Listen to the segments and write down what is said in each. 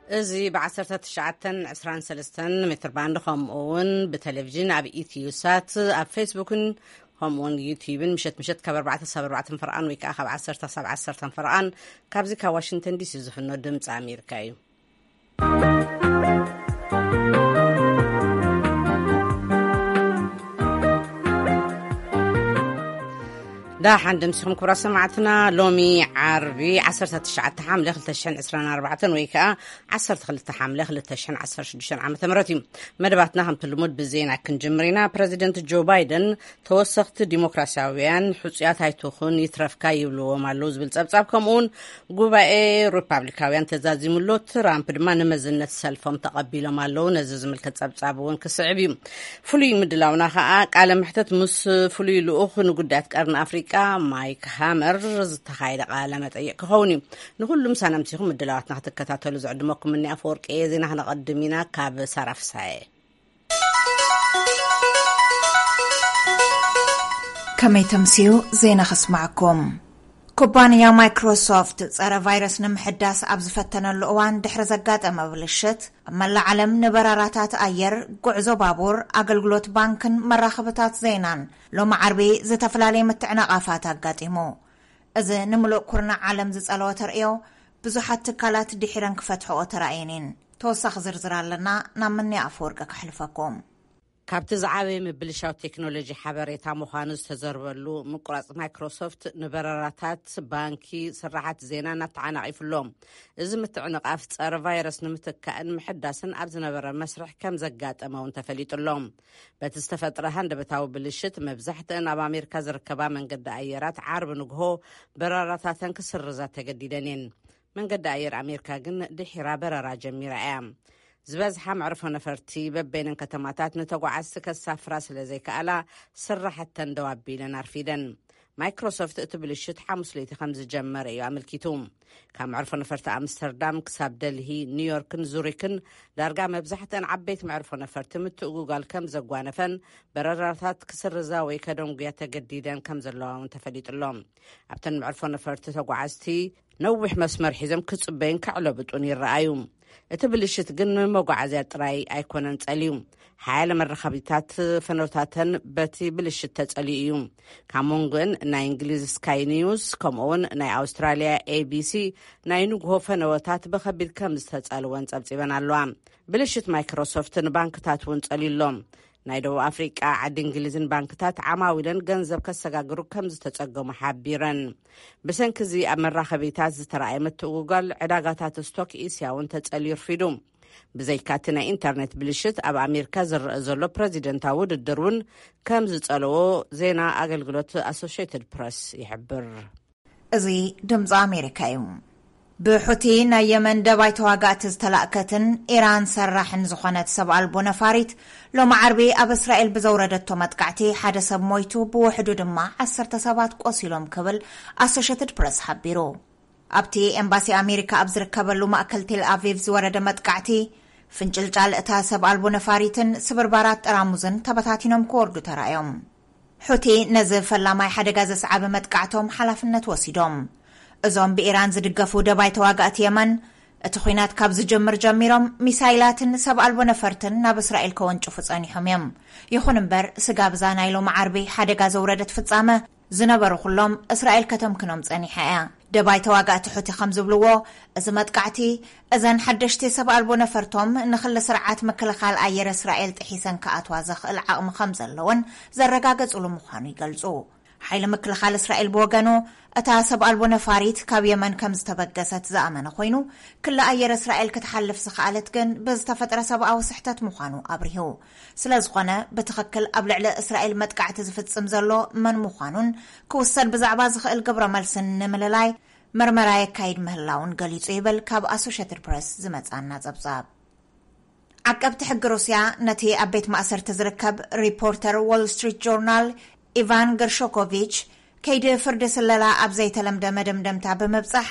እዚ ብ1923 ሜትር ባንድ፣ ከምኡ እውን ብቴሌቪዥን ኣብ ኢትዮ ሳት፣ ኣብ ፌስቡክን ከምኡ እውን ዩቲዩብን ምሸት ምሸት ካብ ኣርባዕተ ሳብ ኣርባዕተን ፈርቓን ወይ ከዓ ካብ ዓሰርተ ሳብ ዓሰርተን ፈርቓን ካብዚ ካብ ዋሽንግተን ዲሲ ዝፍኖ ድምፂ ኣሜሪካ እዩ። ዳሓን ደምሲኹም ክብራ ሰማዕትና። ሎሚ ዓርቢ ዓሰርተ ትሽዓተ ሓምለ ክልተ ሽሕን ዕስራን ኣርባዕተን ወይ ከዓ ዓሰርተ ክልተ ሓምለ ክልተ ሽሕን ዓሰርተ ሽዱሽተን ዓመተ ምህረት እዩ። መደባትና ከምቲ ልሙድ ብዜና ክንጅምር ኢና። ፕረዚደንት ጆ ባይደን ተወሰኽቲ ዲሞክራሲያውያን ሕጹያት ኣይትኹን ይትረፍካ ይብልዎም ኣለዉ ዝብል ጸብጻብ፣ ከምኡውን ጉባኤ ሪፓብሊካውያን ተዛዚሙሎ፣ ትራምፕ ድማ ንመዝነት ሰልፎም ተቐቢሎም ኣለዉ። ነዚ ዝምልከት ጸብጻብ እውን ክስዕብ እዩ። ፍሉይ ምድላውና ኸኣ ቃለ መሕተት ምስ ፍሉይ ልኡኽ ንጉዳያት ቀርኒ ኣፍሪቃ ማይክ ሃመር ዝተኻየደ ቃለ መጠይቕ ክኸውን እዩ። ንኹሉ ምሳና ምሲኹም ምድላዋትና ክትከታተሉ ዝዕድመኩም እኒ ኣፈወርቂ እየ። ዜና ክነቐድም ኢና ካብ ሳራ ፍሳየ። ከመይ ተምስዩ? ዜና ከስማዕኩም። ኩባንያ ማይክሮሶፍት ጸረ ቫይረስ ንምሕዳስ ኣብ ዝፈተነሉ እዋን ድሕሪ ዘጋጠመ ብልሽት፣ ኣብ መላእ ዓለም ንበራራታት ኣየር፣ ጉዕዞ ባቡር፣ ኣገልግሎት ባንክን መራኸብታት ዜናን ሎሚ ዓርቢ ዝተፈላለየ ምትዕንቓፋት ኣጋጢሙ። እዚ ንምሉእ ኩርናዕ ዓለም ዝጸለወ ተርእዮ፣ ብዙሓት ትካላት ድሒረን ክፈትሕኦ ተራእየን እየን። ተወሳኺ ዝርዝር ኣለና፣ ናብ ምንያ ኣፈወርቂ ከሕልፈኩም። ካብቲ ዝዓበየ ምብልሻው ቴክኖሎጂ ሓበሬታ ምዃኑ ዝተዘርበሉ ምቁራጽ ማይክሮሶፍት ንበረራታት፣ ባንኪ፣ ስራሓት ዜናን ኣተዓናቒፉ ኣሎ። እዚ ምትዕንቓፍ ጸረ ቫይረስ ንምትካእን ምሕዳስን ኣብ ዝነበረ መስርሕ ከም ዘጋጠመ እውን ተፈሊጡ ኣሎ። በቲ ዝተፈጥረ ሃንደበታዊ ብልሽት መብዛሕትአን ኣብ ኣሜሪካ ዝርከባ መንገዲ ኣየራት ዓርቢ ንግሆ በረራታተን ክስርዛ ተገዲደን እየን። መንገዲ ኣየር ኣሜሪካ ግን ድሒራ በረራ ጀሚራ እያ። ዝበዝሓ መዕርፎ ነፈርቲ በበይነን ከተማታት ንተጓዓዝቲ ከሳፍራ ስለ ዘይከኣላ፣ ስራሕተን ደው ኣቢለን ኣርፊደን። ማይክሮሶፍት እቲ ብልሽት ሓሙስ ለይቲ ከም ዝጀመረ እዩ ኣመልኪቱ። ካብ መዕርፎ ነፈርቲ ኣምስተርዳም ክሳብ ደልሂ፣ ኒውዮርክን ዙሪክን ዳርጋ መብዛሕትአን ዓበይቲ መዕርፎ ነፈርቲ ምትእጉጋል ከም ዘጓነፈን፣ በረራታት ክስርዛ ወይ ከደንጉያ ተገዲደን ከም ዘለዋ እውን ተፈሊጡ ኣሎ። ኣብተን መዕርፎ ነፈርቲ ተጓዓዝቲ ነዊሕ መስመር ሒዞም ክጽበዩን ከዕለብጡን ይረኣዩ። እቲ ብልሽት ግን ንመጓዓዝያ ጥራይ ኣይኮነን ጸልዩ። ሓያለ መራኸቢታት ፈነወታተን በቲ ብልሽት ተጸልዩ እዩ። ካብ መንጎን ናይ እንግሊዝ ስካይ ኒውስ፣ ከምኡውን ናይ ኣውስትራልያ ኤቢሲ ናይ ንግሆ ፈነወታት ብኸቢድ ከም ዝተጸልወን ጸብጺበን ኣለዋ። ብልሽት ማይክሮሶፍት ንባንክታት እውን ጸልዩ ኣሎ። ናይ ደቡብ ኣፍሪቃ፣ ዓዲ እንግሊዝን ባንክታት ዓማዊለን ገንዘብ ከሰጋግሩ ከም ዝተጸገሙ ሓቢረን። ብሰንኪ እዚ ኣብ መራኸቢታት ዝተረኣየ ምትእጉጋል ዕዳጋታት ስቶክ እስያ እውን ተጸልዩ ርፊዱ። ብዘይካቲ ናይ ኢንተርኔት ብልሽት ኣብ ኣሜሪካ ዝረአ ዘሎ ፕረዚደንታዊ ውድድር እውን ከም ዝጸለዎ ዜና ኣገልግሎት ኣሶሽየትድ ፕረስ ይሕብር። እዚ ድምፂ ኣሜሪካ እዩ። ብሑቲ ናይ የመን ደባይ ተዋጋእቲ ዝተላእከትን ኢራን ሰራሕን ዝኾነት ሰብ ኣልቦ ነፋሪት ሎሚ ዓርቢ ኣብ እስራኤል ብዘውረደቶ መጥቃዕቲ ሓደ ሰብ ሞይቱ፣ ብውሕዱ ድማ ዓሰርተ ሰባት ቆሲሎም ክብል ኣሶሽየትድ ፕረስ ሓቢሩ። ኣብቲ ኤምባሲ ኣሜሪካ ኣብ ዝርከበሉ ማእከል ቴል ኣቪቭ ዝወረደ መጥቃዕቲ፣ ፍንጭልጫል እታ ሰብ ኣልቦ ነፋሪትን ስብርባራት ጠራሙዝን ተበታቲኖም ክወርዱ ተራእዮም። ሑቲ ነዚ ፈላማይ ሓደጋ ዘስዓበ መጥቃዕቶም ሓላፍነት ወሲዶም። እዞም ብኢራን ዝድገፉ ደባይ ተዋጋእቲ የመን፣ እቲ ኲናት ካብ ዝጅምር ጀሚሮም ሚሳይላትን ሰብ ኣልቦ ነፈርትን ናብ እስራኤል ከወንጭፉ ጸኒሖም እዮም። ይኹን እምበር፣ ስጋብ እዛ ናይ ሎሚ ዓርቢ ሓደጋ ዘውረደት ፍጻመ፣ ዝነበሩ ኩሎም እስራኤል ከተምክኖም ጸኒሓ እያ። ደባይ ተዋጋእቲ ሑቲ ከም ዝብልዎ፣ እዚ መጥቃዕቲ እዘን ሓደሽቲ ሰብ ኣልቦ ነፈርቶም ንክሊ ስርዓት ምክልኻል ኣየር እስራኤል ጥሒሰን ክኣትዋ ዘኽእል ዓቕሚ ከም ዘለወን ዘረጋገጽሉ ምዃኑ ይገልጹ። ሓይሊ ምክልኻል እስራኤል ብወገኑ፣ እታ ሰብ ኣልቦ ነፋሪት ካብ የመን ከም ዝተበገሰት ዝኣመነ ኮይኑ፣ ክሊ ኣየር እስራኤል ክትሓልፍ ዝኸኣለት ግን ብዝተፈጥረ ሰብኣዊ ስሕተት ምዃኑ ኣብሪሁ። ስለ ዝኾነ፣ ብትኽክል ኣብ ልዕሊ እስራኤል መጥቃዕቲ ዝፍጽም ዘሎ መን ምዃኑን ክውሰድ ብዛዕባ ዝኽእል ግብረ መልስን ንምልላይ መርመራ የካይድ ምህላውን ገሊጹ ይብል ካብ ኣሶሽየትድ ፕረስ ዝመጻና ጸብጻብ። ዓቀብቲ ሕጊ ሩስያ ነቲ ኣብ ቤት ማእሰርቲ ዝርከብ ሪፖርተር ዎል ስትሪት ጆርናል ኢቫን ገርሾኮቪች፣ ከይዲ ፍርዲ ስለላ ኣብ ዘይተለምደ መደምደምታ ብምብጻሕ፣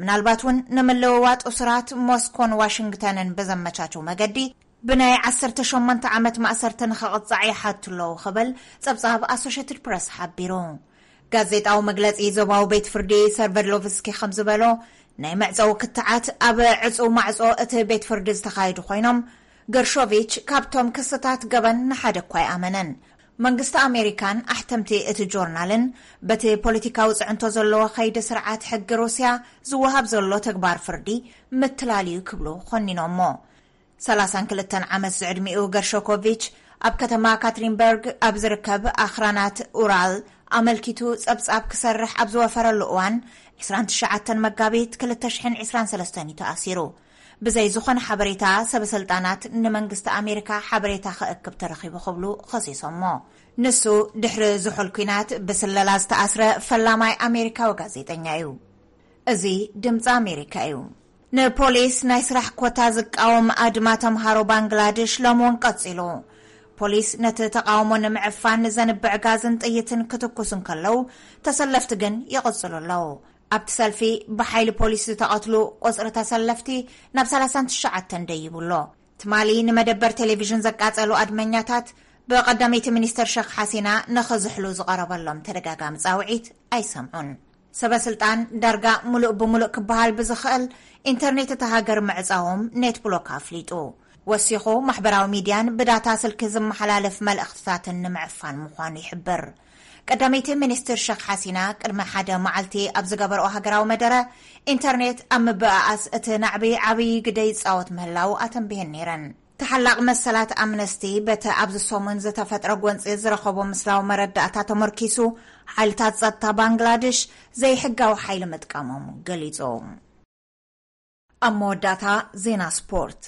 ምናልባት እውን ንምልውዋጥ እሱራት ሞስኮን ዋሽንግተንን ብዘመቻቸው መገዲ ብናይ ዓሰርተ ሸሞንተ ዓመት ማእሰርቲ ንኸቕጻዕ ይሓቱ ኣለዉ ክብል ጸብጻብ ኣሶሽየትድ ፕረስ ሓቢሩ። ጋዜጣዊ መግለጺ ዞባዊ ቤት ፍርዲ ሰርቨድሎቭስኪ ከም ዝበሎ፣ ናይ መዕጸዊ ክትዓት ኣብ ዕጹው ማዕጾ እቲ ቤት ፍርዲ ዝተኻየዱ ኮይኖም፣ ገርሾቪች ካብቶም ክስታት ገበን ንሓደ እኳ ኣይኣመነን። መንግስቲ ኣሜሪካን ኣሕተምቲ እቲ ጆርናልን በቲ ፖለቲካዊ ጽዕንቶ ዘለዎ ከይዲ ስርዓት ሕጊ ሩስያ ዝወሃብ ዘሎ ተግባር ፍርዲ ምትላል እዩ ክብሉ ኮኒኖሞ። ሰላሳን ክልተን ዓመት ዝዕድሚኡ ገርሾኮቪች ኣብ ከተማ ካትሪንበርግ ኣብ ዝርከብ ኣኽራናት ኡራል ኣመልኪቱ ጸብጻብ ክሰርሕ ኣብ ዝወፈረሉ እዋን፣ ዕስራን ትሽዓተን መጋቢት ክልተ ሽሕን ዕስራን ሰለስተን እዩ ተኣሲሩ። ብዘይ ዝኾነ ሓበሬታ ሰበ ስልጣናት ንመንግስቲ ኣሜሪካ ሓበሬታ ክእክብ ተረኺቡ ክብሉ ኸሲሶሞ። ንሱ ድሕሪ ዝሑል ኲናት ብስለላ ዝተኣስረ ፈላማይ ኣሜሪካዊ ጋዜጠኛ እዩ። እዚ ድምፂ ኣሜሪካ እዩ። ንፖሊስ ናይ ስራሕ ኮታ ዝቃወም ኣድማ ተምሃሮ ባንግላድሽ ሎምውን ቀፂሉ። ፖሊስ ነቲ ተቃውሞ ንምዕፋን ዘንብዕ ጋዝን ጥይትን ክትኩስ እንከለዉ፣ ተሰለፍቲ ግን ይቕጽሉ ኣለዉ። ኣብቲ ሰልፊ ብሓይሊ ፖሊስ ዝተቐትሉ ቁጽሪ ተሰለፍቲ ናብ ሰላሳን ትሽዓተን ደይቡ ኣሎ። ትማሊ ንመደበር ቴሌቪዥን ዘቃጸሉ ኣድመኛታት ብቀዳመይቲ ሚኒስተር ሸኽ ሓሲና ንኽዝሕሉ ዝቐረበሎም ተደጋጋሚ ጻውዒት ኣይሰምዑን። ሰበ ስልጣን ዳርጋ ሙሉእ ብሙሉእ ክበሃል ብዝኽእል ኢንተርኔት እታ ሃገር ምዕጻዎም ኔት ብሎክ ኣፍሊጡ። ወሲኹ ማሕበራዊ ሚድያን ብዳታ ስልኪ ዝመሓላለፍ መልእኽትታትን ንምዕፋን ምዃኑ ይሕብር። ቀዳመይቲ ሚኒስትር ሸኽ ሓሲና ቅድሚ ሓደ መዓልቲ ኣብ ዝገበርኦ ሃገራዊ መደረ፣ ኢንተርኔት ኣብ ምብኣኣስ እቲ ናዕቢ ዓብዪ ግደ ይጻወት ምህላው ኣተንቢሀን ነይረን። ተሓላቕ መሰላት ኣምነስቲ በቲ ኣብዚ ሰሙን ዝተፈጥረ ጎንፂ ዝረኸቦ ምስላዊ መረዳእታ ተመርኪሱ፣ ሓይልታት ጸጥታ ባንግላድሽ ዘይሕጋዊ ሓይሊ ምጥቃሞም ገሊጹ። ኣብ መወዳእታ ዜና ስፖርት።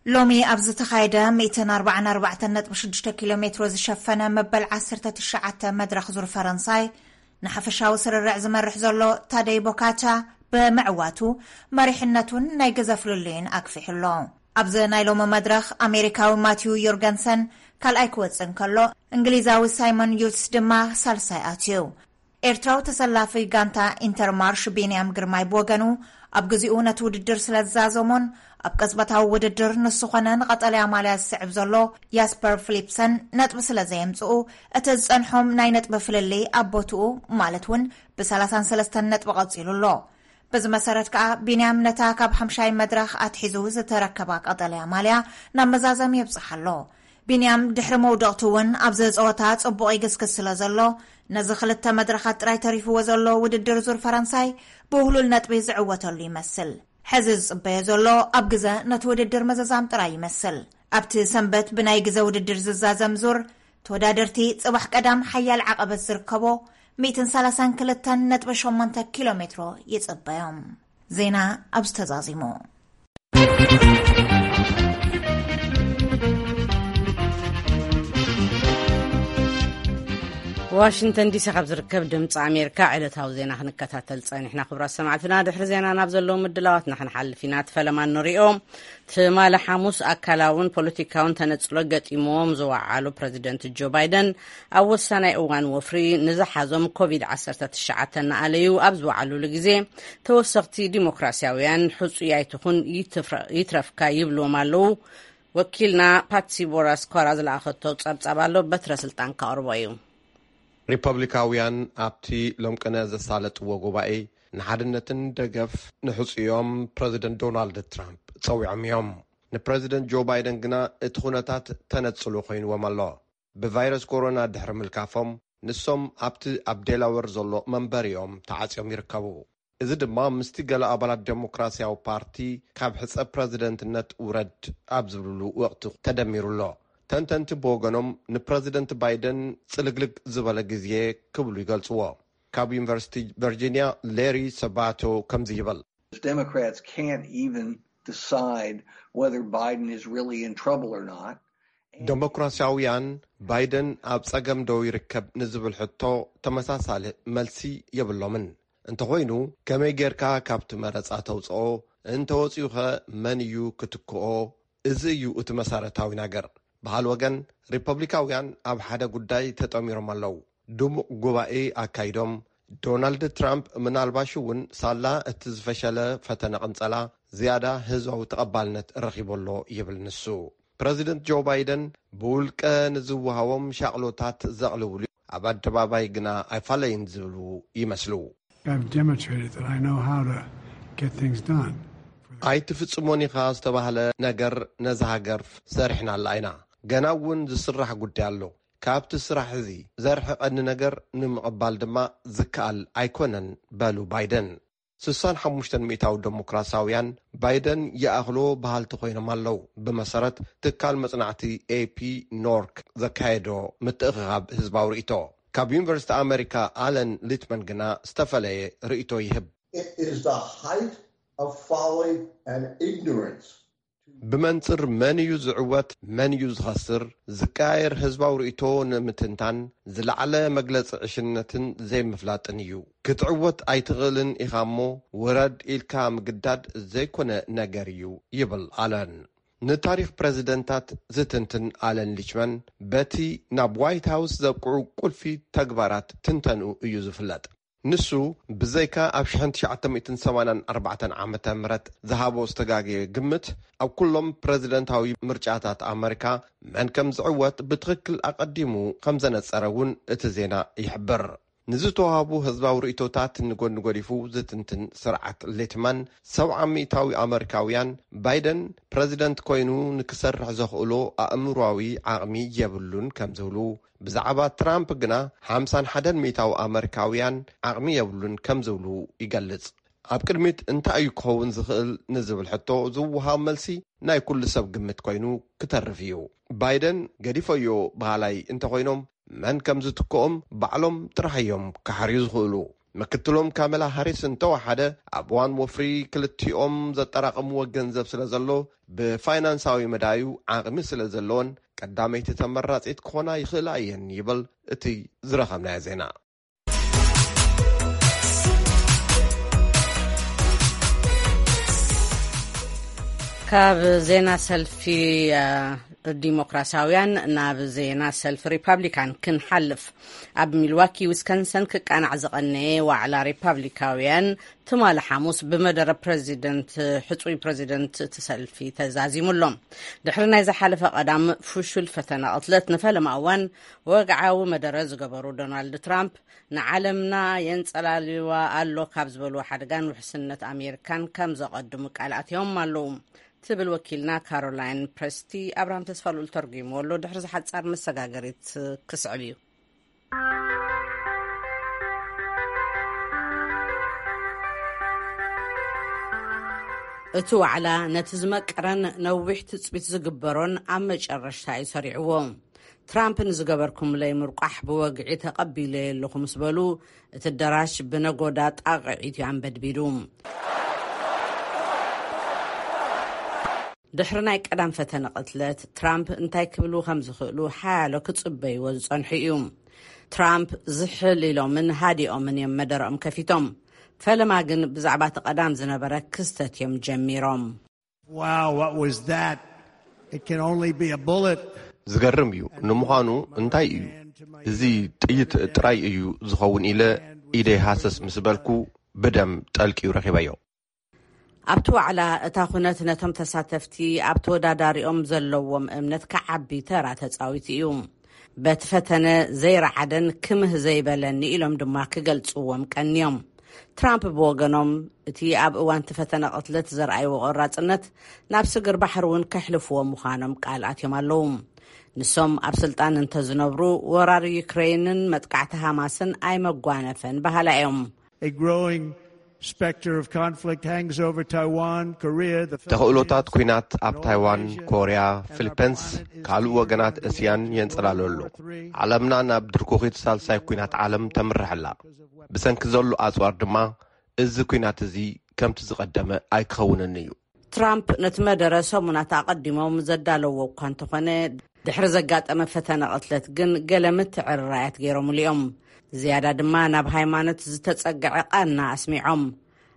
ሎሚ ኣብ ዝተኻየደ ሚእትን ኣርባዓን ኣርባዕተን ነጥቢ ሽዱሽተ ኪሎ ሜትሮ ዝሸፈነ መበል ዓሰርተ ትሽዓተ መድረኽ ዙር ፈረንሳይ ንሓፈሻዊ ስርርዕ ዝመርሕ ዘሎ ታደይ ቦካቻ ብምዕዋቱ መሪሕነቱን ናይ ግዘ ፍልልዩን ኣግፊሑ ኣሎ። ኣብዚ ናይ ሎሚ መድረኽ ኣሜሪካዊ ማቲው ዮርገንሰን ካልኣይ ክወጽእ እንከሎ፣ እንግሊዛዊ ሳይሞን ዩትስ ድማ ሳልሳይ ኣትዩ። ኤርትራዊ ተሰላፊ ጋንታ ኢንተርማርሽ ቢንያም ግርማይ ብወገኑ፣ ኣብ ግዚኡ ነቲ ውድድር ስለ ዝዛዘሞን ኣብ ቅጽበታዊ ውድድር ንሱ ኾነ ንቐጠልያ ማልያ ዝስዕብ ዘሎ ያስፐር ፊሊፕሰን ነጥቢ ስለ ዘየምጽኡ፣ እቲ ዝጸንሖም ናይ ነጥቢ ፍልልይ ኣብ ቦትኡ፣ ማለት እውን ብሰላሳን ሰለስተን ነጥቢ ቀጺሉ ኣሎ። በዚ መሰረት ከኣ ቢንያም ነታ ካብ ሓምሻይ መድረኽ ኣትሒዙ ዝተረከባ ቀጠልያ ማልያ ናብ መዛዘሚ የብጽሓ ኣሎ። ቢንያም ድሕሪ መውደቕቱ እውን ኣብዚ ጸወታ ጽቡቕ ይግስግስ ስለ ዘሎ፣ ነዚ ክልተ መድረኻት ጥራይ ተሪፍዎ ዘሎ ውድድር ዙር ፈረንሳይ ብውህሉል ነጥቢ ዝዕወተሉ ይመስል። ሕዚ ዝጽበዮ ዘሎ ኣብ ግዘ ነቲ ውድድር ምዝዛም ጥራይ ይመስል። ኣብቲ ሰንበት ብናይ ግዘ ውድድር ዝዛዘም ዙር፣ ተወዳደርቲ ጽባሕ ቀዳም ሓያል ዓቐበት ዝርከቦ ሚእትን ሰላሳን ክልተን ነጥቢ ሸሞንተ ኪሎ ሜትሮ ይጽበዮም። ዜና ኣብዚ ተዛዚሙ። ዋሽንግተን ዲሲ ካብ ዝርከብ ድምፂ ኣሜሪካ ዕለታዊ ዜና ክንከታተል ጸኒሕና። ክቡራት ሰማዕትና፣ ድሕሪ ዜና ናብ ዘለዉ ምድላዋትና ክንሓልፍ ኢና። እቲ ፈለማ ንሪኦ። ትማሊ ሓሙስ ኣካላውን ፖለቲካውን ተነጽሎ ገጢምዎም ዝወዓሉ ፕረዚደንት ጆ ባይደን፣ ኣብ ወሳናይ እዋን ወፍሪ ንዝሓዞም ኮቪድ ዓሰርተ ትሽዓተ እናኣለዩ ኣብ ዝወዓሉሉ ግዜ፣ ተወሰኽቲ ዲሞክራሲያውያን፣ "ሕጹይ ኣይትኹን፣ ይትፍረ-፣ ይትረፍካ" ይብልዎም ኣለዉ። ወኪልና ፓትሲ ቦራስኮራ ዝለኣኸቶ ጸብጻብ ኣሎ፣ በትረ ስልጣን ከቕርቦ እዩ። ሪፐብሊካውያን ኣብቲ ሎምቅነ ዘሳለጥዎ ጉባኤ፣ ንሓድነትን ደገፍ ንሕጹዮም ፕረዚደንት ዶናልድ ትራምፕ ጸዊዖም እዮም። ንፕረዚደንት ጆ ባይደን ግና እቲ ኩነታት ተነጽሎ ኮይንዎም ኣሎ። ብቫይረስ ኮሮና ድሕሪ ምልካፎም፣ ንሶም ኣብቲ ኣብ ዴላወር ዘሎ መንበሪኦም ተዓጽዮም ይርከቡ። እዚ ድማ ምስቲ ገለ ኣባላት ዴሞክራሲያዊ ፓርቲ ካብ ሕጸ ፕረዚደንትነት ውረድ ኣብ ዝብልሉ ወቕቲ ተደሚሩ ኣሎ። ተንተንቲ ብወገኖም፣ ንፕረዚደንት ባይደን ጽልግልግ ዝበለ ግዜ ክብሉ ይገልጽዎ። ካብ ዩኒቨርሲቲ ቨርጂኒያ ሌሪ ሰባቶ ከምዚ ይብል። Democrats can't even decide whether Biden is really in trouble or not. ዴሞክራሲያውያን፣ ባይደን ኣብ ጸገም ዶ ይርከብ ንዝብል ሕቶ ተመሳሳሊ መልሲ የብሎምን። እንተኾይኑ፣ ከመይ ጌርካ ካብቲ መረጻ ተውጽኦ? እንተወጺኡኸ መን እዩ ክትክኦ? እዚ እዩ እቲ መሰረታዊ ነገር። ብኻልእ ወገን፣ ሪፐብሊካውያን ኣብ ሓደ ጉዳይ ተጠሚሮም ኣለዉ። ድሙቕ ጉባኤ ኣካይዶም፣ ዶናልድ ትራምፕ ምናልባሽ እውን ሳላ እቲ ዝፈሸለ ፈተነ ቅንጸላ ዝያዳ ህዝባዊ ተቐባልነት ረኺቡ ኣሎ ይብል ንሱ። ፕረዚደንት ጆ ባይደን ብውልቀ ንዝወሃቦም ሻቕሎታት ዘቕልብሉ፣ ኣብ ኣደባባይ ግና ኣይፋለይን ዝብሉ ይመስሉ። I've demonstrated that I know how to get things done. ኣይትፍጽሞን ኢኻ ዝተባህለ ነገር ነዛ ሃገር ሰሪሕናላ ኢና። ገና እውን ዝስራሕ ጉዳይ ኣሎ። ካብቲ ስራሕ እዚ ዘርሕቐኒ ነገር ንምቕባል ድማ ዝከኣል ኣይኮነን፣ በሉ ባይደን። ስሳን ሓሙሽተን ሚእታዊ ዴሞክራሲያውያን ባይደን ይኣኽሎ በሃልቲ ኮይኖም ኣለዉ፣ ብመሰረት ትካል መጽናዕቲ ኤፒ ኖርክ ዘካየዶ ምትእኽኻብ ህዝባዊ ርእይቶ። ካብ ዩኒቨርሲቲ ኣመሪካ ኣለን ሊትመን ግና ዝተፈለየ ርእይቶ ይህብ። It is the height of folly and ignorance. ብመንጽር መን እዩ ዝዕወት፣ መን እዩ ዝኸስር፣ ዝቀያየር ህዝባዊ ርእይቶ ንምትንታን ዝለዓለ መግለጺ ዕሽነትን ዘይምፍላጥን እዩ። ክትዕወት ኣይትኽእልን ኢኻ እሞ ውረድ ኢልካ ምግዳድ ዘይኮነ ነገር እዩ፣ ይብል ኣለን። ንታሪኽ ፕረዚደንታት ዝትንትን ኣለን ሊችመን በቲ ናብ ዋይት ሃውስ ዘብቅዑ ቁልፊ ተግባራት ትንተንኡ እዩ ዝፍለጥ። ንሱ ብዘይካ ኣብ ሽሕን ትሽዓተ ሚእትን ሰማንያን ኣርባዕተን ዓመተ ምህረት ዝሃቦ ዝተጋገየ ግምት፣ ኣብ ኩሎም ፕረዚደንታዊ ምርጫታት ኣመሪካ መን ከም ዝዕወት ብትኽክል ኣቐዲሙ ከም ዘነጸረ እውን እቲ ዜና ይሕብር። ንዝተዋህቡ ህዝባዊ ርእይቶታት ንጎኒ ጎዲፉ ዝትንትን ስርዓት ሌትማን፣ ሰብዓ ሚእታዊ ኣመሪካውያን ባይደን ፕረዚደንት ኮይኑ ንክሰርሕ ዘኽእሎ ኣእምሯዊ ዓቕሚ የብሉን ከም ዝብሉ፣ ብዛዕባ ትራምፕ ግና ሓምሳን ሓደን ሚእታዊ ኣመሪካውያን ዓቕሚ የብሉን ከም ዝብሉ ይገልጽ። ኣብ ቅድሚት እንታይ እዩ ክኸውን ዝኽእል ንዝብል ሕቶ ዝወሃብ መልሲ ናይ ኩሉ ሰብ ግምት ኮይኑ ክተርፍ እዩ። ባይደን ገዲፈዮ በሃላይ እንተኾይኖም፣ መን ከም ዝትክኦም ባዕሎም ጥራሕ እዮም ክሓርዩ ዝኽእሉ። ምክትሎም ካመላ ሃሪስ እንተወሓደ፣ ኣብ እዋን ወፍሪ ክልቲኦም ዘጠራቐምዎ ገንዘብ ስለ ዘሎ፣ ብፋይናንሳዊ መዳዩ ዓቕሚ ስለ ዘለዎን ቀዳመይቲ ተመራጺት ክኾና ይኽእላ እየን ይብል እቲ ዝረኸብናዮ ዜና። ካብ ዜና ሰልፊ ዲሞክራሲያውያን ናብ ዜና ሰልፊ ሪፓብሊካን ክንሓልፍ። ኣብ ሚልዋኪ ዊስከንሰን ክቃናዕ ዝቐነየ ዋዕላ ሪፓብሊካውያን ትማሊ ሓሙስ ብመደረ ፕረዚደንት፣ ሕጹይ ፕረዚደንት እቲ ሰልፊ ተዛዚሙ ኣሎ። ድሕሪ ናይ ዝሓለፈ ቀዳም ፍሹል ፈተነ ቅትለት ንፈለማ እዋን ወግዓዊ መደረ ዝገበሩ ዶናልድ ትራምፕ፣ ንዓለምና የንጸላልዋ ኣሎ ካብ ዝበልዎ ሓደጋን ውሕስነት ኣሜሪካን ከም ዘቐድሙ ቃል ኣትዮም ኣለዉ ትብል ወኪልና ካሮላይን ፕረስቲ። ኣብርሃም ተስፋልኡል ተርጒምዎ ኣሎ። ድሕሪ ዝሓጻር መሰጋገሪት ክስዕብ እዩ። እቲ ዋዕላ ነቲ ዝመቀረን ነዊሕ ትጽቢት ዝግበሮን ኣብ መጨረሽታ እዩ ሰሪዕዎ። ትራምፕ ንዝገበርኩምለይ ምርቋሕ ብወግዒ ተቐቢለዮ ኣለኹ ምስ በሉ፣ እቲ ኣዳራሽ ብነጎዳ ጣቕዒት እዩ ኣንበድቢዱ። ድሕሪ ናይ ቀዳም ፈተነ ቅትለት፣ ትራምፕ እንታይ ክብሉ ከም ዝኽእሉ ሓያሎ ክጽበይዎ ዝጸንሑ እዩ። ትራምፕ ዝሕል ኢሎምን ሃዲኦምን እዮም መደረኦም ከፊቶም። ፈለማ ግን ብዛዕባ እቲ ቀዳም ዝነበረ ክስተት እዮም ጀሚሮም። Wow, what was that? It can only be a bullet. ዝገርም እዩ። ንምዃኑ እንታይ እዩ? እዚ ጥይት ጥራይ እዩ ዝኸውን ኢለ ኢደይ ሃሰስ ምስ በልኩ ብደም ጠልቅዩ ረኺበዮ። ኣብቲ ዋዕላ እታ ኩነት ነቶም ተሳተፍቲ ኣብ ተወዳዳሪኦም ዘለዎም እምነት ክዓቢ ተራ ተጻዊቱ እዩ። በቲ ፈተነ ዘይረዓደን ክምህ ዘይበለኒ ኢሎም ድማ ክገልጽዎም ቀንዮም። ትራምፕ ብወገኖም እቲ ኣብ እዋንቲ ፈተነ ቅትለት ዘርኣይዎ ቆራጽነት ናብ ስግር ባሕሪ እውን ከሕልፍዎ ምዃኖም ቃል ኣትዮም ኣለዉ። ንሶም ኣብ ስልጣን እንተዝነብሩ ወራር ዩክሬንን መጥቃዕቲ ሃማስን ኣይመጓነፈን በሃላ እዮም። A growing specter of conflict hangs over Taiwan, Korea, the ተኽእሎታት Philippines, ኲናት ኣብ North ታይዋን፣ Asia, ኮርያ፣ and our ፊሊፐንስ፣ planet is ካልእ being ወገናት moved እስያን toward የንጸላሉ World ኣሎ። War Three. ዓለምና ናብ ድርኩኺት ሳልሳይ ኲናት ዓለም ተምርሕ ኣላ። ብሰንኪ ዘሎ ኣጽዋር ድማ እዚ ኲናት እዚ ከምቲ ዝቐደመ ኣይክኸውንን እዩ። ትራምፕ ነቲ መደረ ሰሙናት ኣቐዲሞም ዘዳለዎ እኳ እንተኾነ፣ ድሕሪ ዘጋጠመ ፈተነ ቅትለት ግን ገለ ምትዕርራያት ገይሮምሉ እዮም። ዝያዳ ድማ ናብ ሃይማኖት ዝተጸግዐ ቃና ኣስሚዖም።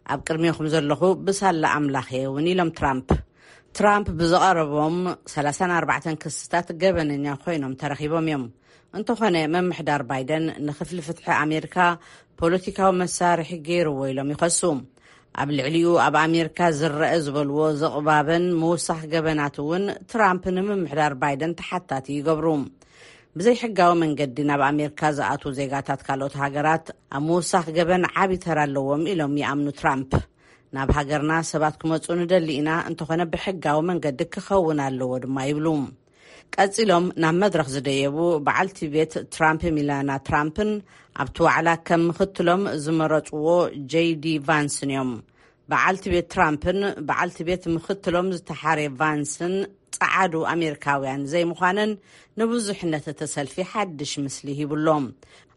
ኣብ ቅድሜኹም ዘለኹ ብሳላ ኣምላኽ እየ እውን ኢሎም ትራምፕ። ትራምፕ ብዝቐረቦም ሰላሳን ኣርባዕተን ክስታት ገበነኛ ኮይኖም ተረኺቦም እዮም። እንተኾነ መምሕዳር ባይደን ንክፍሊ ፍትሒ ኣሜሪካ ፖለቲካዊ መሳርሒ ገይርዎ ኢሎም ይኸሱ። ኣብ ልዕሊኡ ኣብ ኣሜሪካ ዝረአ ዝበልዎ ዝቕባበን ምውሳኽ ገበናት እውን ትራምፕ ንምምሕዳር ባይደን ተሓታቲ ይገብሩ። ብዘይሕጋዊ መንገዲ ናብ ኣሜሪካ ዝኣትዉ ዜጋታት ካልኦት ሃገራት ኣብ ምውሳኽ ገበን ዓቢ ተራ ኣለዎም ኢሎም ይኣምኑ ትራምፕ። ናብ ሃገርና ሰባት ክመጹ ንደሊ ኢና፣ እንተኾነ ብሕጋዊ መንገዲ ክኸውን ኣለዎ ድማ ይብሉ። ቀጺሎም ናብ መድረኽ ዝደየቡ በዓልቲ ቤት ትራምፕ ሚላና ትራምፕን ኣብቲ ዋዕላ ከም ምኽትሎም ዝመረጽዎ ጄዲ ቫንስን እዮም። በዓልቲ ቤት ትራምፕን በዓልቲ ቤት ምኽትሎም ዝተሓረ ቫንስን ጸዓዱ ኣሜሪካውያን ዘይምዃነን ንብዙሕነት እቲ ሰልፊ ሓድሽ ምስሊ ሂብሎም።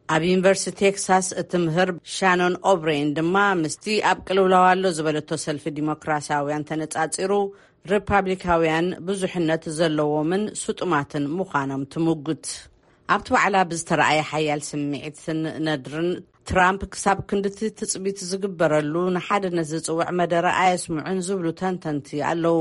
ኣብ ዩኒቨርሲቲ ቴክሳስ እትምህር ሻኖን ኦብሬን ድማ ምስቲ ኣብ ቅልውላው ኣሎ ዝበለቶ ሰልፊ ዲሞክራሲያውያን ተነጻጺሩ፣ ሪፓብሊካውያን ብዙሕነት ዘለዎምን ስጡማትን ምዃኖም ትምጉት። ኣብቲ ዋዕላ ብዝተረኣየ ሓያል ስምዒትን ነድርን፣ ትራምፕ ክሳብ ክንድቲ ትጽቢት ዝግበረሉ ንሓድነት ዝጽውዕ መደረ ኣየስምዑን ዝብሉ ተንተንቲ ኣለዉ።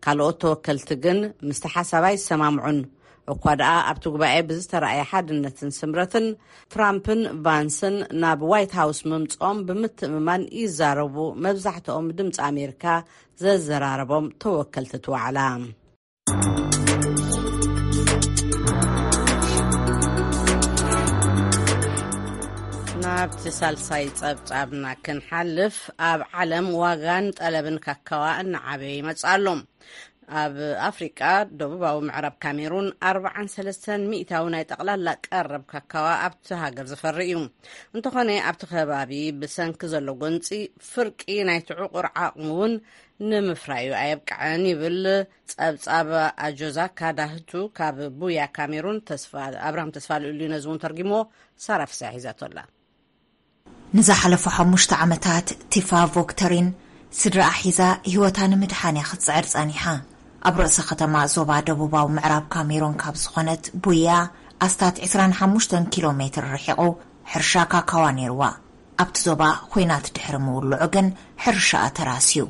ካልኦት ተወከልቲ ግን ምስቲ ሓሳብ ኣይሰማምዑን። እኳ ደኣ ኣብቲ ጉባኤ ብዝተረኣየ ሓድነትን ስምረትን፣ ትራምፕን ቫንስን ናብ ዋይት ሃውስ ምምጽኦም ብምትእምማን ይዛረቡ፣ መብዛሕትኦም ድምፂ ኣሜሪካ ዘዘራረቦም ተወከልቲ እቲ ዋዕላ። ናብቲ ሳልሳይ ጸብጻብና ክንሓልፍ፣ ኣብ ዓለም ዋጋን ጠለብን ካካዋ እናዓበየ ይመጽእ ኣሎ። ኣብ ኣፍሪቃ፣ ደቡባዊ ምዕራብ ካሜሩን ኣርብዓን ሰለስተን ሚእታዊ ናይ ጠቕላላ ቀረብ ካካዋ ኣብቲ ሃገር ዝፈሪ እዩ። እንተኾነ፣ ኣብቲ ከባቢ ብሰንኪ ዘሎ ጎንጺ፣ ፍርቂ ናይቲ ዕቑር ዓቕሚ እውን ንምፍራዩ ኣየብቅዐን ይብል ጸብጻብ ኣጆዛካ ዳህቱ ካብ ቡያ ካሜሩን። ተስፋ ኣብርሃም ተስፋ ልኡሉ ነዚ እውን ተርጊሞ፣ ሳራ ፍስሐ ሒዛቶ ኣላ። ንዝሓለፉ ሓሙሽተ ዓመታት ቲፋ ቮክተሪን ስድራኣ ሒዛ ህይወታ ንምድሓን እያ ክትጽዕር ጸኒሓ። ኣብ ርእሰ ከተማ ዞባ ደቡባዊ ምዕራብ ካሜሩን ካብ ዝኾነት ቡያ ኣስታት ዕስራን ሓሙሽተን ኪሎ ሜትር ርሒቑ ሕርሻ ካካዋ ነይርዋ። ኣብቲ ዞባ ኹናት ድሕሪ ምውልዑ ግን ሕርሻኣ ተራስዩ።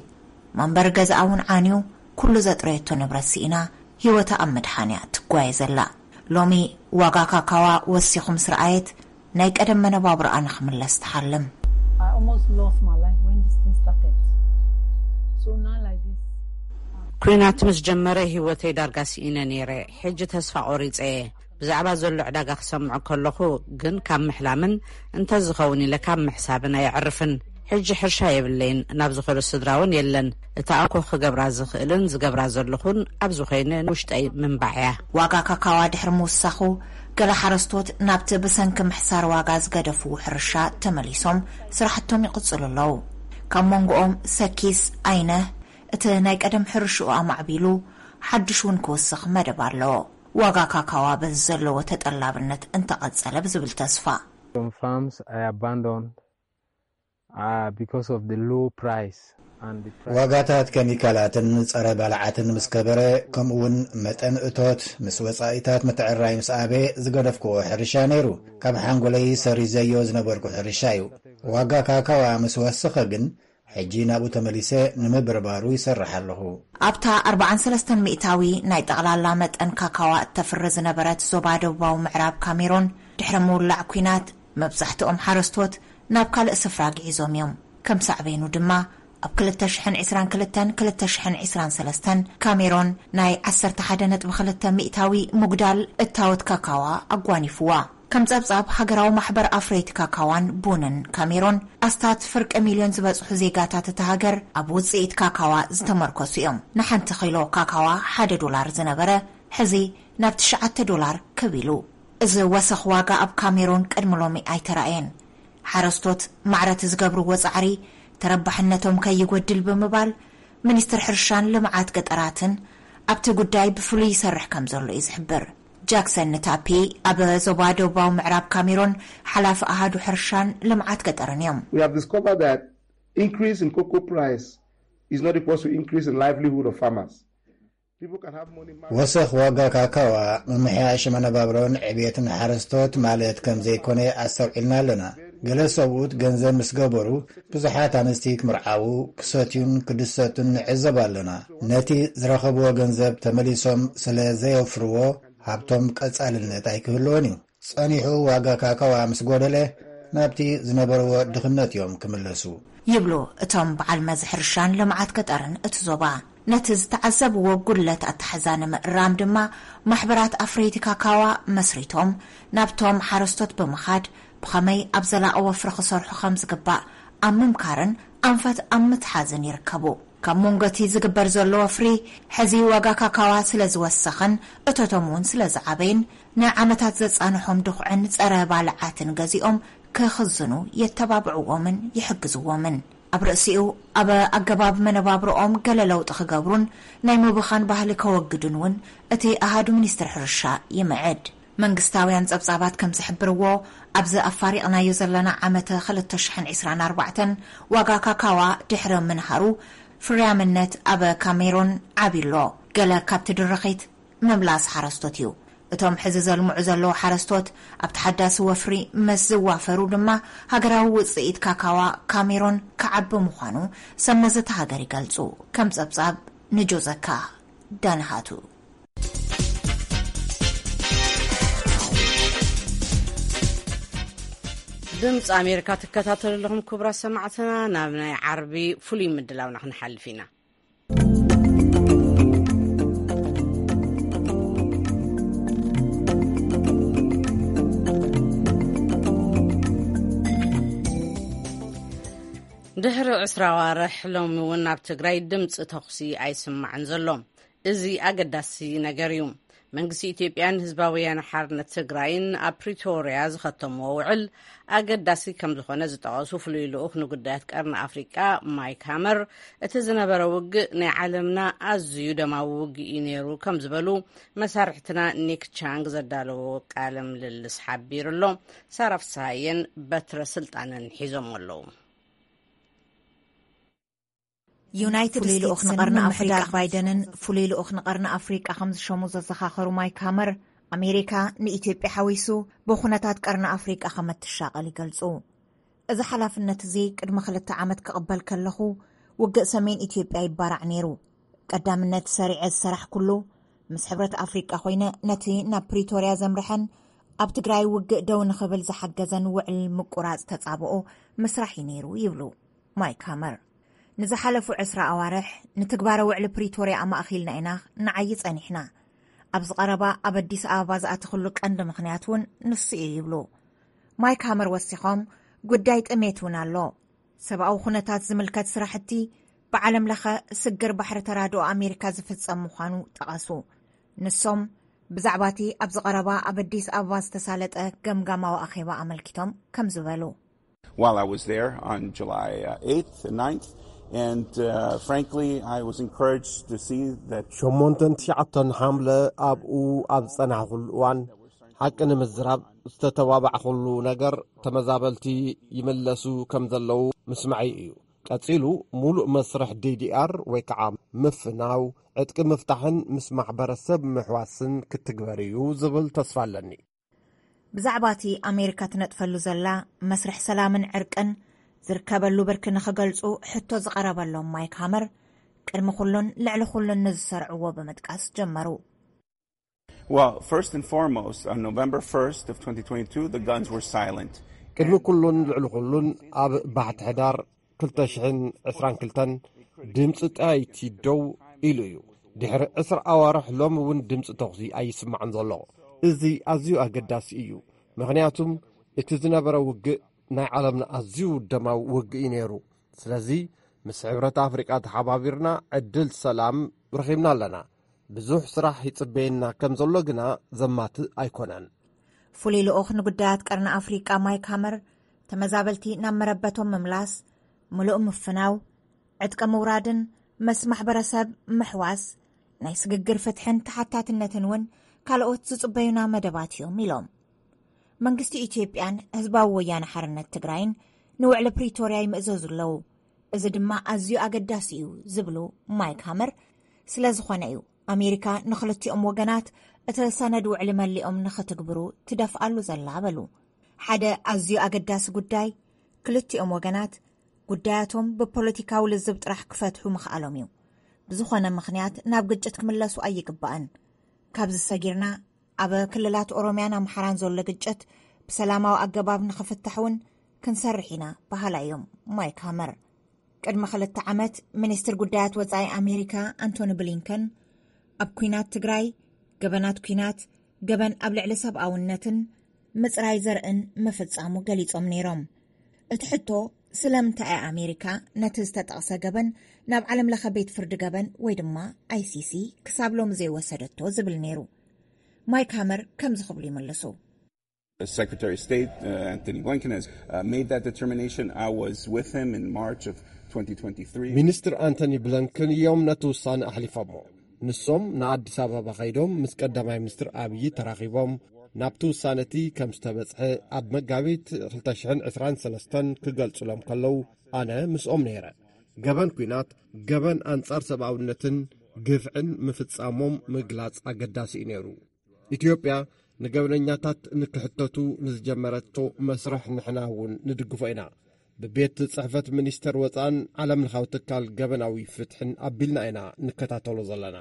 መንበሪ ገዛኣ እውን ዓንዩ፣ ኩሉ ዘጥረየቶ ንብረት ስኢና ህይወታ ኣብ ምድሓን እያ ትጓየ ዘላ። ሎሚ ዋጋ ካካዋ ወሲኹ ምስ ረኣየት፣ ናይ ቀደም መነባብሮኣ ንኽምለስ ትሓልም። I almost lost my life when this thing started. So now like this. ኩናት ምስ ጀመረ ህይወተይ ዳርጋ ስኢነ ነይረ። ሕጂ ተስፋ ቆሪጸ እየ። ብዛዕባ ዘሎ ዕዳጋ ክሰምዖ ከለኹ ግን ካብ ምሕላምን እንተዝኸውን ኢለ ካብ ምሕሳብን ኣየዕርፍን። ሕጂ ሕርሻ የብለይን። ናብ ዝኾነ ስድራ እውን የለን። እታ ኣኮ ክገብራ ዝኽእልን ዝገብራ ዘለኹን ኣብዚ ኮይነ ንውሽጠይ ምንባዕ እያ። ዋጋ ካካዋ ድሕሪ ምውሳኹ፣ ገለ ሓረስቶት ናብቲ ብሰንኪ ምሕሳር ዋጋ ዝገደፍዎ ሕርሻ ተመሊሶም ስራሕቶም ይቕጽሉ ኣለዉ። ካብ መንጎኦም ሰኪስ ኣይነህ እቲ ናይ ቀደም ሕርሽኡ ኣማዕቢሉ ሓድሽ እውን ክውስኽ መደብ ኣለዎ። ዋጋ ካካዋ በዚ ዘለዎ ተጠላብነት እንተቐጸለ ብዝብል ተስፋ። Some farms I abandoned, uh, because of the low price and the price. ዋጋታት ኬሚካላትን ጸረ ባልዓትን ምስ ከበረ፣ ከምኡውን መጠን እቶት ምስ ወጻኢታት ምትዕራይ ምስ ኣበ፣ ዝገደፍክዎ ሕርሻ ነይሩ። ካብ ሓንጎለይ ሰሪዘዮ ዝነበርኩ ሕርሻ እዩ። ዋጋ ካካዋ ምስ ወሰኸ ግን፣ ሕጂ ናብኡ ተመሊሰ ንምብርባሩ ይሰርሕ ኣለኹ። ኣብታ ኣርብዓን ሰለስተን ሚእታዊ ናይ ጠቕላላ መጠን ካካዋ እተፍሪ ዝነበረት ዞባ ደቡባዊ ምዕራብ ካሜሮን፣ ድሕሪ ምውላዕ ኲናት፣ መብዛሕትኦም ሓረስቶት ናብ ካልእ ስፍራ ግዒዞም እዮም። ከም ሳዕቤኑ ድማ፣ ኣብ ክልተ ሽሕን ዕስራን ክልተን ክልተ ሽሕን ዕስራን ሰለስተን ካሜሮን ናይ ዓሰርተ ሓደ ነጥቢ ክልተ ሚእታዊ ምጉዳል እታወት ካካዋ ኣጓኒፍዋ። ከም ጸብጻብ ሃገራዊ ማሕበር ኣፍረይቲ ካካዋን ቡንን ካሜሮን፣ ኣስታት ፍርቂ ሚልዮን ዝበጽሑ ዜጋታት እታ ሃገር ኣብ ውጽኢት ካካዋ ዝተመርኮሱ እዮም። ንሓንቲ ኪሎ ካካዋ ሓደ ዶላር ዝነበረ፣ ሕዚ ናብ ትሽዓተ ዶላር ክብ ኢሉ። እዚ ወሰኽ ዋጋ ኣብ ካሜሮን ቅድሚ ሎሚ ኣይተራእየን። ሓረስቶት ማዕረ እቲ ዝገብርዎ ጻዕሪ ተረባሕነቶም ከይጎድል ብምባል፣ ሚኒስትር ሕርሻን ልምዓት ገጠራትን ኣብቲ ጉዳይ ብፍሉይ ይሰርሕ ከም ዘሎ እዩ ዝሕብር። ጃክሰን ንታፒ ኣብ ዞባ ደቡባዊ ምዕራብ ካሜሮን ሓላፊ ኣሃዱ ሕርሻን ልምዓት ገጠርን እዮም። We have discovered that increase in cocoa price is not equal to increase in livelihood of farmers. People can have money. ወሰኽ ዋጋ ካካዋ ምምሕያሽ መነባብሮን ዕቤትን ሓረስቶት ማለት ከም ዘይኮነ ኣስተውዒልና ኣለና። ገለ ሰብኡት ገንዘብ ምስ ገበሩ፣ ብዙሓት ኣንስቲ ክምርዓዉ፣ ክሰትዩን ክድሰቱን ንዕዘብ ኣለና። ነቲ ዝረኸብዎ ገንዘብ ተመሊሶም ስለ ዘየውፍርዎ፣ ሃብቶም ቀጻልነት ኣይክህልዎን እዩ። ጸኒሑ ዋጋ ካካዋ ምስ ጎደለ፣ ናብቲ ዝነበርዎ ድኽነት እዮም ክምለሱ። ይብሉ እቶም በዓል መዚ ሕርሻን ልምዓት ገጠርን እቲ ዞባ። ነቲ ዝተዓዘብዎ ጉድለት ኣተሓዛ ንምእራም ድማ፣ ማሕበራት ኣፍረይቲ ካካዋ መስሪቶም ናብቶም ሓረስቶት ብምኻድ፣ ብኸመይ ኣብ ዘላቒ ወፍሪ ክሰርሑ ከም ዝግባእ ኣብ ምምካርን ኣንፈት ኣብ ምትሓዝን ይርከቡ። ካብ መንጎ እቲ ዝግበር ዘሎ ወፍሪ፣ ሕዚ ዋጋ ካካዋ ስለ ዝወሰኸን እቶቶም እውን ስለ ዝዓበይን፣ ንዓመታት ዘጻንሖም ድኹዕን ጸረ ባልዓትን ገዚኦም ክኽዝኑ የተባብዕዎምን ይሕግዝዎምን። ኣብ ርእሲኡ፣ ኣብ ኣገባብ መነባብሮኦም ገለ ለውጢ ክገብሩን ናይ ምብኻን ባህሊ ከወግዱን እውን እቲ ኣሃዱ ሚኒስትሪ ሕርሻ ይምዕድ። መንግስታውያን ጸብጻባት ከም ዝሕብርዎ፣ ኣብዚ ኣፋሪቕናዮ ዘለና ዓመተ ክልተ ሽሕን ዕስራን ኣርባዕተን ዋጋ ካካዋ ድሕሪ ምንሃሩ፣ ፍርያምነት ኣብ ካሜሮን ዓብዩሎ። ገለ ካብቲ ድርኺት ምምላስ ሓረስቶት እዩ። እቶም ሕዚ ዘልምዑ ዘለዉ ሓረስቶት፣ ኣብ ተሓዳሲ ወፍሪ ምስ ዝዋፈሩ ድማ፣ ሃገራዊ ውጽኢት ካካዋ ካሜሮን ክዓቢ ምዃኑ ሰብ መዚ እታ ሃገር ይገልጹ። ከም ጸብጻብ ንጆዘካ ዳንሃቱ። ድምፂ ኣሜሪካ ትከታተሉ ኣለኹም ክቡራት ሰማዕትና። ናብ ናይ ዓርቢ ፍሉይ ምድላውና ክንሓልፍ ኢና። ድሕሪ ዕስራ ኣዋርሕ ሎሚ እውን ኣብ ትግራይ ድምፂ ተኹሲ ኣይስማዕን ዘሎ። እዚ ኣገዳሲ ነገር እዩ። መንግስቲ ኢትዮጵያን ህዝባዊ ወያነ ሓርነት ትግራይን ኣብ ፕሪቶርያ ዝኸተምዎ ውዕል ኣገዳሲ ከም ዝኾነ ዝጠቐሱ ፍሉይ ልኡኽ ንጉዳያት ቀርኒ ኣፍሪቃ ማይክ ሃመር፣ እቲ ዝነበረ ውግእ ናይ ዓለምና ኣዝዩ ደማዊ ውግእ እዩ ነይሩ ከም ዝበሉ መሳርሕትና ኒክ ቻንግ ዘዳለዎ ቃለ ምልልስ ሓቢሩ ኣሎ። ሳራ ፍስሃየን በትረ ስልጣንን ሒዞም ኣለዉ። ዩናይትድ ፍሉይ ልኡኽ ስቴትስን ንቐርኒ ኣፍሪቃ ምምሕዳር ባይደንን ፍሉይ ልኡኽ ንቐርኒ ኣፍሪቃ ከም ዝሸሙ ዘዘኻኸሩ ማይክ ሃመር፣ ኣሜሪካ ንኢትዮጵያ ሓዊሱ ብኹነታት ቀርኒ ኣፍሪቃ ከም እትሻቐል ይገልጹ። እዚ ሓላፍነት እዚ ቅድሚ ክልተ ዓመት ክቕበል ከለኹ፣ ውግእ ሰሜን ኢትዮጵያ ይባራዕ ነይሩ። ቀዳምነት ሰሪዐ ዝሰራሕኩሉ፣ ምስ ሕብረት ኣፍሪቃ ኮይነ ነቲ ናብ ፕሪቶርያ ዘምርሐን ኣብ ትግራይ ውግእ ደው ንኽብል ዝሓገዘን ውዕል ምቁራጽ ተጻብኦ ምስራሕ እዩ ነይሩ ይብሉ ማይክ ሃመር። ንዝሓለፉ ዕስራ ኣዋርሕ ንትግባረ ውዕሊ ፕሪቶርያ ኣማእኺልና ኢና ንዓዪ ጸኒሕና። ኣብዚ ቀረባ ኣብ ኣዲስ ኣበባ ዝኣተኽሉ ቀንዲ ምኽንያት እውን ንሱ እዩ ይብሉ ማይክ ሃመር ወሲኾም። ጉዳይ ጥሜት እውን ኣሎ። ሰብኣዊ ኩነታት ዝምልከት ስራሕቲ ብዓለም ለኸ ስግር ባሕሪ ተራድኦ ኣሜሪካ ዝፍጸም ምዃኑ ጠቐሱ። ንሶም ብዛዕባ እቲ ኣብዚ ቀረባ ኣብ ኣዲስ ኣበባ ዝተሳለጠ ገምጋማዊ ኣኼባ ኣመልኪቶም ከም ዝበሉ። While I was there on July uh, eighth and ninth, and uh, frankly, I was encouraged to see that ሸሞንተን ትሽዓተን ሓምለ ኣብኡ ኣብ ዝጸናሕኩሉ እዋን፣ ሓቂ ንምዝራብ ዝተተባባዕኩሉ ነገር፣ ተመዛበልቲ ይምለሱ ከም ዘለዉ ምስማዐይ እዩ። ቀጺሉ፣ ሙሉእ መስርሕ ዲዲኣር ወይ ከዓ ምፍናው፣ ዕጥቂ ምፍታሕን ምስ ማሕበረሰብ ምሕዋስን ክትግበር እዩ ዝብል ተስፋ ኣለኒ። ብዛዕባ እቲ ኣሜሪካ ትነጥፈሉ ዘላ መስርሕ ሰላምን ዕርቅን ዝርከበሉ ብርኪ ንኽገልጹ ሕቶ ዝቐረበሎም ማይክ ሃመር፣ ቅድሚ ኩሉን ልዕሊ ኩሉን ንዝሰርዕዎ ብምጥቃስ ጀመሩ። Well, first and foremost, on November first of twenty twenty-two, the guns were silent. ቅድሚ ኩሉን ልዕሊ ኩሉን ኣብ ባሕቲ ሕዳር ክልተ ሽሕን ዕስራን ክልተን ድምፂ ጠያይቲ ደው ኢሉ እዩ። ድሕሪ ዕስራ ኣዋርሕ ሎሚ እውን ድምፂ ተኹሲ ኣይስማዕን ዘሎ። እዚ ኣዝዩ ኣገዳሲ እዩ። ምኽንያቱም እቲ ዝነበረ ውግእ ናይ ዓለምና ኣዝዩ ደማዊ ውግእ እዩ ነይሩ። ስለዚ ምስ ሕብረት ኣፍሪቃ ተሓባቢርና ዕድል ሰላም ረኺብና ኣለና። ብዙሕ ስራሕ ይጽበየና ከም ዘሎ ግና ዘማትእ ኣይኮነን። ፍሉይ ልኡኽ ንጉዳያት ቀርኒ ኣፍሪቃ ማይክ ሃመር፣ ተመዛበልቲ ናብ መረበቶም ምምላስ፣ ምሉእ ምፍናው፣ ዕጥቂ ምውራድን ምስ ማሕበረሰብ ምሕዋስ፣ ናይ ስግግር ፍትሕን ተሓታትነትን እውን ካልኦት ዝጽበዩና መደባት እዮም ኢሎም። መንግስቲ ኢትዮጵያን ህዝባዊ ወያነ ሓርነት ትግራይን ንውዕሊ ፕሪቶርያ ይምእዘዙ ኣለዉ። እዚ ድማ ኣዝዩ ኣገዳሲ እዩ ዝብሉ ማይክ ሃመር፣ ስለ ዝኾነ እዩ ኣሜሪካ ንኽልቲኦም ወገናት እቲ ሰነድ ውዕሊ መሊኦም ንኽትግብሩ ትደፍኣሉ ዘላ በሉ። ሓደ ኣዝዩ ኣገዳሲ ጉዳይ፣ ክልቲኦም ወገናት ጉዳያቶም ብፖለቲካዊ ልዝብ ጥራሕ ክፈትሑ ምኽኣሎም እዩ። ብዝኾነ ምኽንያት ናብ ግጭት ክምለሱ ኣይግባእን። ካብዚ ሰጊርና ኣብ ክልላት ኦሮምያን ኣምሓራን ዘሎ ግጭት ብሰላማዊ ኣገባብ ንኽፍታሕ እውን ክንሰርሕ ኢና በሃላይ እዮም ማይክ ሃመር። ቅድሚ ክልተ ዓመት ሚኒስትር ጉዳያት ወጻኢ ኣሜሪካ ኣንቶኒ ብሊንከን ኣብ ኲናት ትግራይ፣ ገበናት ኲናት፣ ገበን ኣብ ልዕሊ ሰብኣውነትን ምጽራይ ዘርእን ምፍጻሙ ገሊጾም ነይሮም። እቲ ሕቶ ስለምንታይ እያ ኣሜሪካ ነቲ ዝተጠቕሰ ገበን ናብ ዓለም ለኸ ቤት ፍርዲ ገበን ወይ ድማ ኣይሲሲ ክሳብ ሎሚ ዘይወሰደቶ ዝብል ነይሩ። ማይክ ሃመር ከምዚ ክብሉ ይምልሱ። Secretary of State uh, Anthony Blinken has uh, made that determination. I was with him in March of twenty twenty-three. ሚኒስትር ኣንቶኒ ብለንክን እዮም ነቲ ውሳነ ኣሕሊፎሞ። ንሶም ንኣዲስ ኣበባ ከይዶም ምስ ቀዳማይ ሚኒስትር ኣብዪ ተራኺቦም ናብቲ ውሳነ እቲ ከም ዝተበጽሐ ኣብ መጋቢት ክልተ ሽሕን ዕስራን ሰለስተን ክገልጹሎም ከለዉ ኣነ ምስኦም ነይረ። ገበን ኲናት፣ ገበን ኣንጻር ሰብኣውነትን ግፍዕን ምፍጻሞም ምግላጽ ኣገዳሲ እዩ ነይሩ። ኢትዮጵያ ንገበነኛታት ንክሕተቱ ንዝጀመረቶ መስርሕ ንሕና እውን ንድግፎ ኢና። ብቤት ጽሕፈት ሚኒስተር ወጻእን ዓለም ለኻዊ ትካል ገበናዊ ፍትሕን ኣቢልና ኢና ንከታተሎ ዘለና።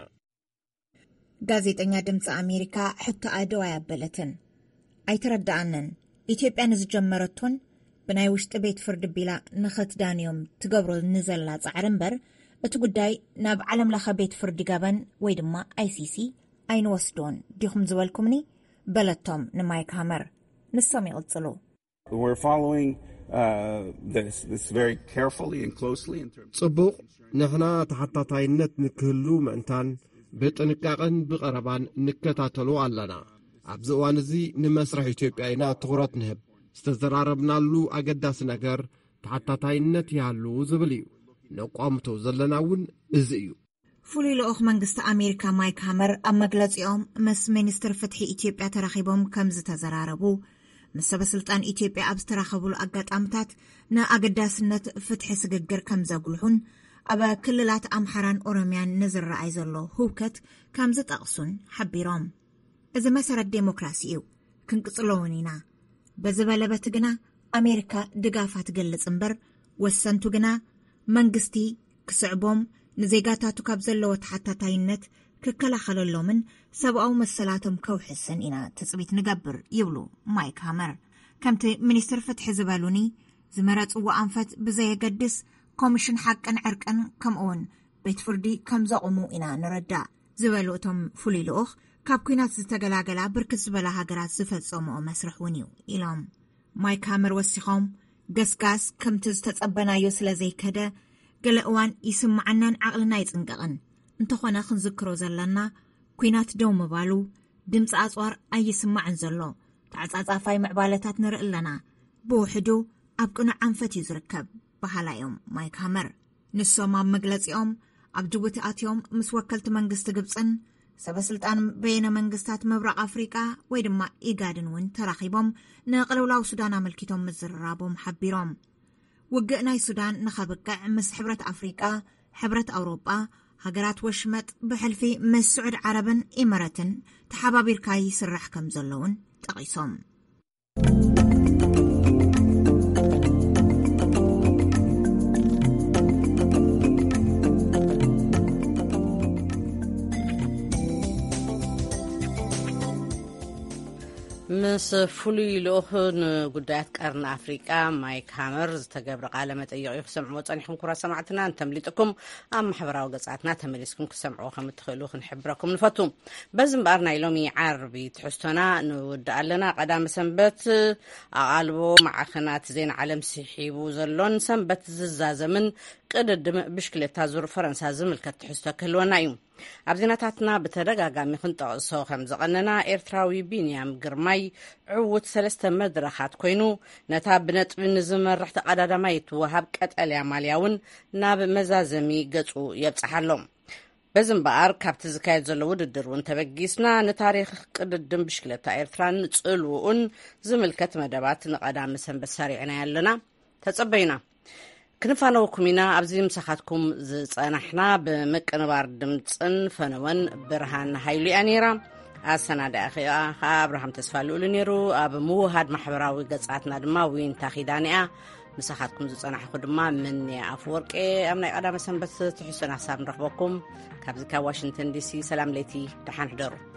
ጋዜጠኛ ድምፂ ኣሜሪካ ሕቶ ኣደው ኣያበለትን ኣይተረዳኣንን። ኢትዮጵያ ንዝጀመረቶን ብናይ ውሽጢ ቤት ፍርዲ ቢላ ንኽትዳንዮም ትገብሮ ንዘላ ጻዕሪ እምበር፣ እቲ ጉዳይ ናብ ዓለም ለኸ ቤት ፍርዲ ገበን ወይ ድማ ኣይሲሲ ኣይንወስዶን ዲኹም ዝበልኩምኒ? በለቶም ንማይክ ሃመር። ንሶም ይቕጽሉ። We're following uh, this, this very carefully and closely in terms ጽቡቕ፣ ንሕና ተሓታታይነት ንክህሉ ምእንታን ብጥንቃቐን ብቐረባን ንከታተሎ ኣለና። ኣብዚ እዋን እዚ ንመስርሕ ኢትዮጵያ ኢና ትኹረት ንህብ። ዝተዘራረብናሉ ኣገዳሲ ነገር ተሓታታይነት ይሃሉ ዝብል እዩ። ነቋምቶ ዘለና እውን እዚ እዩ። ፍሉይ ልኡኽ መንግስቲ ኣሜሪካ ማይክ ሃመር ኣብ መግለጺኦም ምስ ሚኒስትር ፍትሒ ኢትዮጵያ ተራኺቦም ከም ዝተዘራረቡ፣ ምስ ሰበ ስልጣን ኢትዮጵያ ኣብ ዝተራኸቡሉ ኣጋጣምታት ንኣገዳስነት ፍትሒ ስግግር ከም ዘጉልሑን ኣብ ክልላት ኣምሓራን ኦሮምያን ንዝረኣይ ዘሎ ህውከት ከም ዝጠቕሱን ሓቢሮም። እዚ መሰረት ዴሞክራሲ እዩ፣ ክንቅጽሎ እውን ኢና። በዚ በለ በቲ ግና ኣሜሪካ ድጋፋ ትገልጽ እምበር፣ ወሰንቱ ግና መንግስቲ ክስዕቦም፣ ንዜጋታቱ ካብ ዘለዎ ተሓታታይነት ክከላኸለሎምን ሰብኣዊ መሰላቶም ከውሕስን ኢና ትጽቢት ንገብር ይብሉ ማይክ ሃመር። ከምቲ ሚኒስትር ፍትሒ ዝበሉኒ፣ ዝመረጽዎ ኣንፈት ብዘየገድስ ኮሚሽን ሓቅን ዕርቅን ከምኡውን ቤት ፍርዲ ከም ዘቑሙ ኢና ንረዳእ ዝበሉ እቶም ፍሉይ ልኡኽ፣ ካብ ኲናት ዝተገላገላ ብርክት ዝበላ ሃገራት ዝፈጸምኦ መስርሕ እውን እዩ ኢሎም። ማይክ ሃመር ወሲኾም፣ ገስጋስ ከምቲ ዝተጸበናዮ ስለ ዘይከደ፣ ገለ እዋን ይስምዓናን ዓቕልና ይጽንቀቕን። እንተኾነ ክንዝክሮ ዘለና፣ ኲናት ደው ምባሉ ድምፂ ኣጽዋር ኣይስማዕን ዘሎ። ተዓጻጻፋይ ምዕባለታት ንርኢ ኣለና። ብውሕዱ ኣብ ቅኑዕ ኣንፈት እዩ ዝርከብ በሃላ እዮም ማይክ ሃመር። ንሶም ኣብ መግለጺኦም፣ ኣብ ጅቡቲ ኣትዮም ምስ ወከልቲ መንግስቲ ግብጽን ሰበ ስልጣን በየነ መንግስታት ምብራቕ ኣፍሪቃ ወይ ድማ ኢጋድን እውን ተራኺቦም ንቅልውላው ሱዳን ኣመልኪቶም ምዝርራቦም ሓቢሮም። ውግእ ናይ ሱዳን ንኸብቅዕ ምስ ሕብረት ኣፍሪቃ፣ ሕብረት ኣውሮጳ፣ ሃገራት ወሽመጥ ብሕልፊ ምስ ስዑድ ዓረብን ኢመረትን ተሓባቢርካ ይስራሕ ከም ዘለውን ጠቒሶም። ምስ ፍሉይ ልኡኽ ንጉዳያት ቀርኒ ኣፍሪቃ ማይክ ሃመር ዝተገብረ ቃለ መጠይቕ እዩ ክሰምዕዎ ጸኒሕኩም። ክቡራት ሰማዕትና እንተምሊጥኩም ኣብ ማሕበራዊ ገጻትና ተመሊስኩም ክሰምዕዎ ከም እትኽእሉ ክንሕብረኩም ንፈቱ። በዚ እምበኣር ናይ ሎሚ ዓርቢ ትሕዝቶና ንውድእ ኣለና። ቀዳሚ ሰንበት ኣቓልቦ ማዕኸናት ዜና ዓለም ስሒቡ ዘሎን ሰንበት ዝዛዘምን ቅድድም ብሽክሌታ ዙር ፈረንሳ ዝምልከት ትሕዝቶ ክህልወና እዩ። ኣብ ዜናታትና ብተደጋጋሚ ክንጠቕሶ ከም ዝቐነና፣ ኤርትራዊ ቢንያም ግርማይ ዕዉት ሰለስተ መድረኻት ኮይኑ፣ ነታ ብነጥቢ ንዝመርሕ ተቐዳዳማይ እትወሃብ ቀጠልያ ማልያ እውን ናብ መዛዘሚ ገጹ የብጽሓ ኣሎ። በዚ እምበኣር፣ ካብቲ ዝካየድ ዘሎ ውድድር እውን ተበጊስና፣ ንታሪኽ ቅድድም ብሽክለታ ኤርትራን ጽልውኡን ዝምልከት መደባት ንቐዳሚ ሰንበት ሰሪዕናዮ ኣለና። ተጸበዩና። ክንፋነወኩም ኢና። ኣብዚ ምሳኻትኩም ዝጸናሕና፣ ብምቅንባር ድምጽን ፈነወን ብርሃን ሃይሉ እያ ነይራ። ኣሰናዳኢ ኸኣ ኣብርሃም ተስፋ ልኡሉ ነይሩ። ኣብ ምውሃድ ማሕበራዊ ገጻትና ድማ ዊንታ ኪዳነ እያ። ምሳኻትኩም ዝጸናሕኩ ድማ ምንያ ኣፍወርቂ። ኣብ ናይ ቀዳመ ሰንበት ትሕዝቶና ክሳብ ንረኽበኩም፣ ካብዚ ካብ ዋሽንግተን ዲሲ ሰላም ለይቲ፣ ደሓን ሕደሩ።